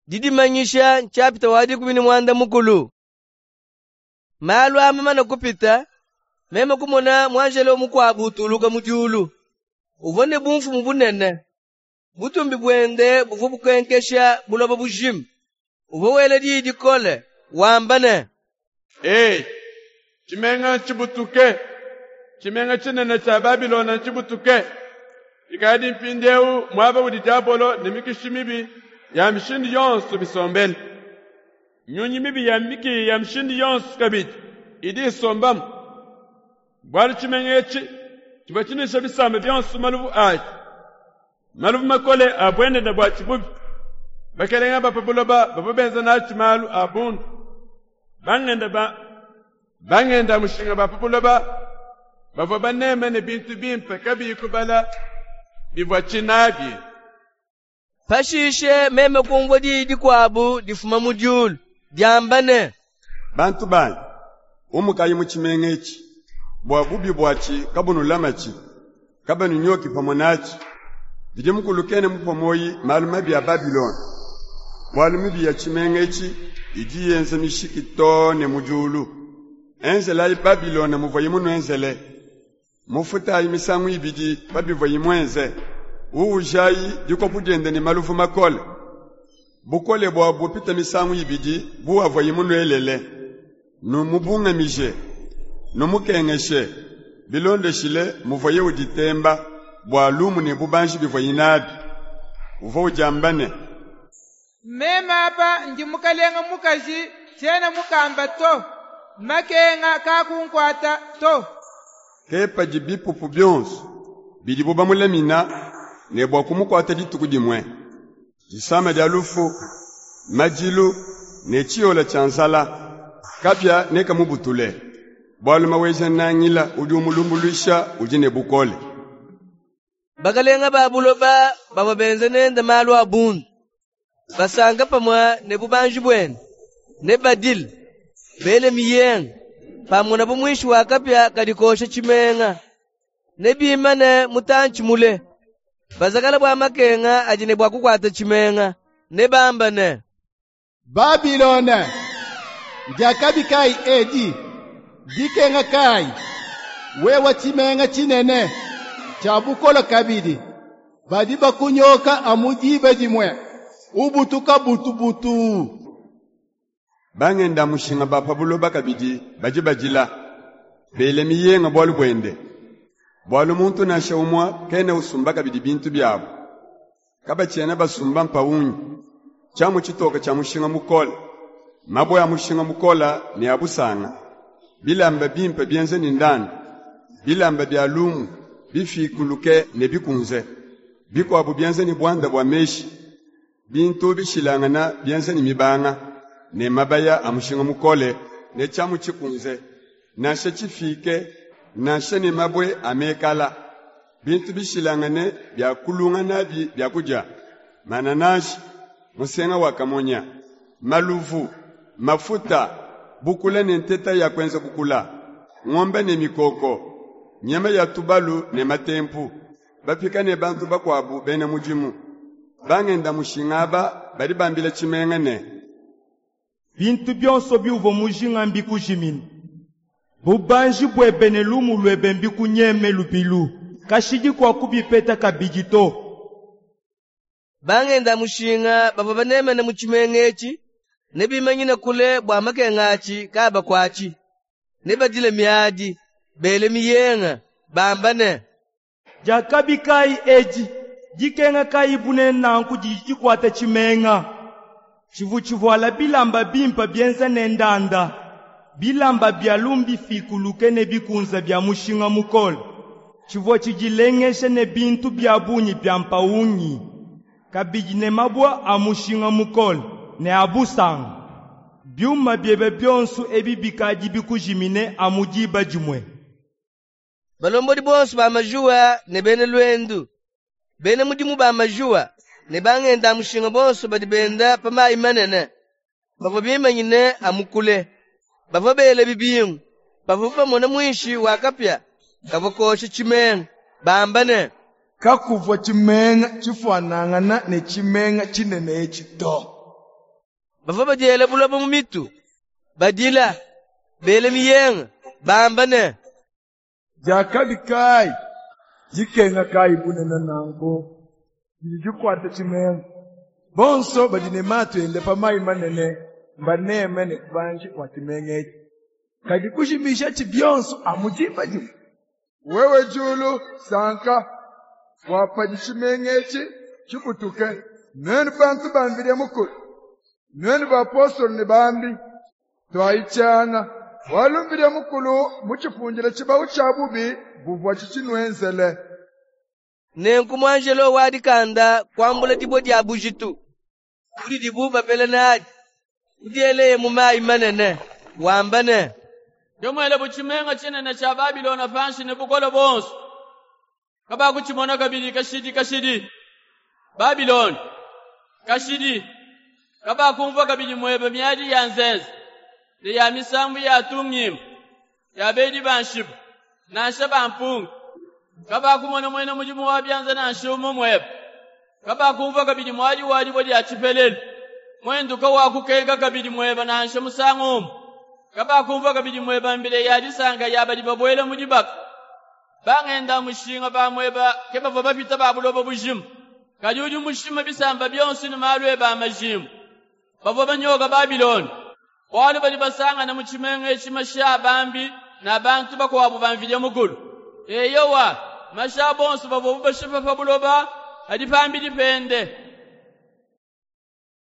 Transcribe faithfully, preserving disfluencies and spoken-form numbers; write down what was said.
Didimanyisha nshapita wa dikumi ne muanda mukulu. Malu aa mamane kupita, meme kumona muanjelo mukuabu utuluka mu diulu. Uvua ne bumfumu bunene. Butumbi buende buvua bukenkesha buloba bujima. Uvua wela diyi dikole, wamba ne: Ee, tshimenga ntshibutuke! Tshimenga tshinene tshia Babilone ntshibutuke! Tshikadi mpindieu muaba udi diabolo ne mikishi mibi ya mishindu yonso bisombele. Nyunyi mibi ya mikiya ya mishindu yonso kabidi idi isombamu. Bualu tshimenga etshi tshivua tshinuisha bisamba bionso maluvu atshi, maluvu makole a buendenda buatshi bubi. Bakelenge ba pa buloba bavua benza natshi malu a bundu. Bangenda ba bangenda mushinga ba pa buloba bavua baneme ne bintu bimpe kabiyi kubala bivuatshi nabi. Pashishe meme kumvua diyi dikuabu difuma mu diulu diamba ne: Bantu banyi, umukayi mu tshimenga etshi, bua bubi buatshi kabunulamatshi, kabanunyoki pamue natshi. Mvidi Mukulu kena mupue muoyi malu mabi a Babilone, bualu mibi ya tshimenga etshi idi yenza mishiki too ne mu diulu. Enzelayi Babilone muvuaye munuenzele. Mufutayi misangu ibidi pa bivuaye muenze. Uwujayi dikopu diende ne maluvu makole. Bukole buabu bupite misangu ibidi bu avuaye munuelele. Numubungamije, numukengeshe, bilondeshile muvuaye uditemba bua lumu ne bubanji bivuaye nabi. Uvua udiamba ne: Meme apa ndi mukalenga mukaji, tshiena mukamba to. Makenga kaakunkuata to. Ke padi bipupu bionsu bidibu bamulamina ne bua kumukuata dituku dimue: disama dia lufu, madilu ne tshiyola tshia nzala. Kapia nekamubutule, bualu Maweja-Nangila udi umulumbuluisha udi ne bukole. Bakalenga ba buloba bavua benza nende malu a bundu, basanka pamue ne bubanji buende, ne badile, bele miyenga, pamonabu muinshi wa kapia kadi kosha tshimenga. Ne bimane mutantshi mule, bazakala bua makenga adi ne bua kukuata tshimenga, ne bamba ne: Babilone, ndiakabi kayi edi? Dikenga kayi? Wewe tshimenga tshinene tshia bukole kabidi, badi bakunyoka amu diba dimue, ubutuka butubutu. Bangenda mushinga ba pa buloba kabidi badi badila, bela miyenga bualu buende. Bualu muntu nansha umue kena usumba kabidi bintu biabu. Kabatshiena basumba mpawungi, tshiamu tshitoke tshia mushinga mukole, mabue a mushinga mukole ne a busanga, bilamba bimpe bienza ne ndanda, bilamba bia lumu bifikuluke ne bikunze, bikuabu bienza ne buanda bua meshi, bintu bishilangana bienza ne mibanga, ne mabaya a mushinga mukole ne tshiamu tshikunze, nansha tshifike, nansha ne mabue a mekala, bintu bishilangane bia kulunga nabi biakudia, manananshi, musenga wa kamonya, maluvu, mafuta, bukula ne nteta ya kuenza bukula, ngombe ne mikoko, nyama ya tubalu ne matempu, bapika ne bantu bakuabu bena mudimu. Bangenda mushinga aba badi bambila tshimenga ne: Bintu bionso biuvua mujinga mbikujimine. Bubanji buebe ne lumu luebe mbikunyeme lubilu. Kashidi kuakubipeta kabidi to. Bangenda mushinga bavua banemena mu tshimenga etshi, ne bimanyine kule bua makenga atshi kaabakuatshi. Ne badile miadi, bele miyenga, bamba ne: Diakabi kayi edi, dikenga kayi bunene nanku didi dikuata tshimenga. Tshivua tshivuala bilamba bimpe bienza ne ndanda, bilamba bia lumu bifikuluke ne bikunze bia mushinga mukole. Tshivua tshidilengeja ne bintu bia bungi bia mpawungi, kabidi ne mabue a mushinga mukole ne a busanga. Biuma biebe bionso ebi bikadi bikujimine amu diba dimue. Balombodi bonso ba majuwa ne bena luendu, bena mudimu ba majuwa ne bangenda mushinga bonso badi benda pa mayi manene, bavua bimanyine amu kule, bavua bela bibingu, bavua bamona muinshi wa kapia kavua kosha tshimenga, bamba ne: Kakuvua tshimenga tshifuanangana ne tshimenga tshinene etshi to. Bavua badiela buloba mu mitu, badila, bela miyenga, bamba ne: Diakabi kayi, dikenga kayi bunene nanku, didi dikuata tshimenga. Bonso badi ne matu enda pa mayi manene, mbaneme ne bubanji bua tshimenga etshi. Kadi kujimishatshi bionso amu diba dimue. Wewe diulu, sanka, bua padi tshimenga etshi tshibutuke. Nuenu bantu ba Mvidi Mukulu, nuenu bapostolu ne bambi, tuayi tshianga, bualu Mvidi Mukulu mutshifundile tshibawu tshia bubi buvuatshi tshinuenzele. Nenku muanjelo wa dikanda kuambula dibue dia bujitu, bu didibu bapela nadi, kudieleye mu mayi manene, wamba ne: Ke muele bu tshimenga tshinene tshia Babilone panshi ne bukole buonso. Kabakutshimona kabidi kashidi kashidi. Babilone, kashidi, kabakumvua kabidi muebe miadi ya nzenze, ne ya misambu ya tungimba, ya bedi ba nshiba, nansha ba mpungi. Kabakumona muena mudimu wa bianza nansha umue muebe. Kabakumvua kabidi muadi wa dibue dia tshipelelu, muenduka wa kukenka kabidi muebe nansha musangu umue. Kabakumvua kabidi muebe mbila ya disanka ya badi babuela mu dibaka. Bangenda mushinga ba muebe ke bavua bapita ba buloba bujima. Kadi udi mushima bisamba bionso ne malu ebe a majimbu. Bavua banyoka Babilone, bualu badi basangana mu tshimenga etshi mashi a bambi na bantu bakuabu ba Mvidi Mukulu. Eyowa, mashi a bonso bavuabu bashipa pa buloba adi pambidi pende.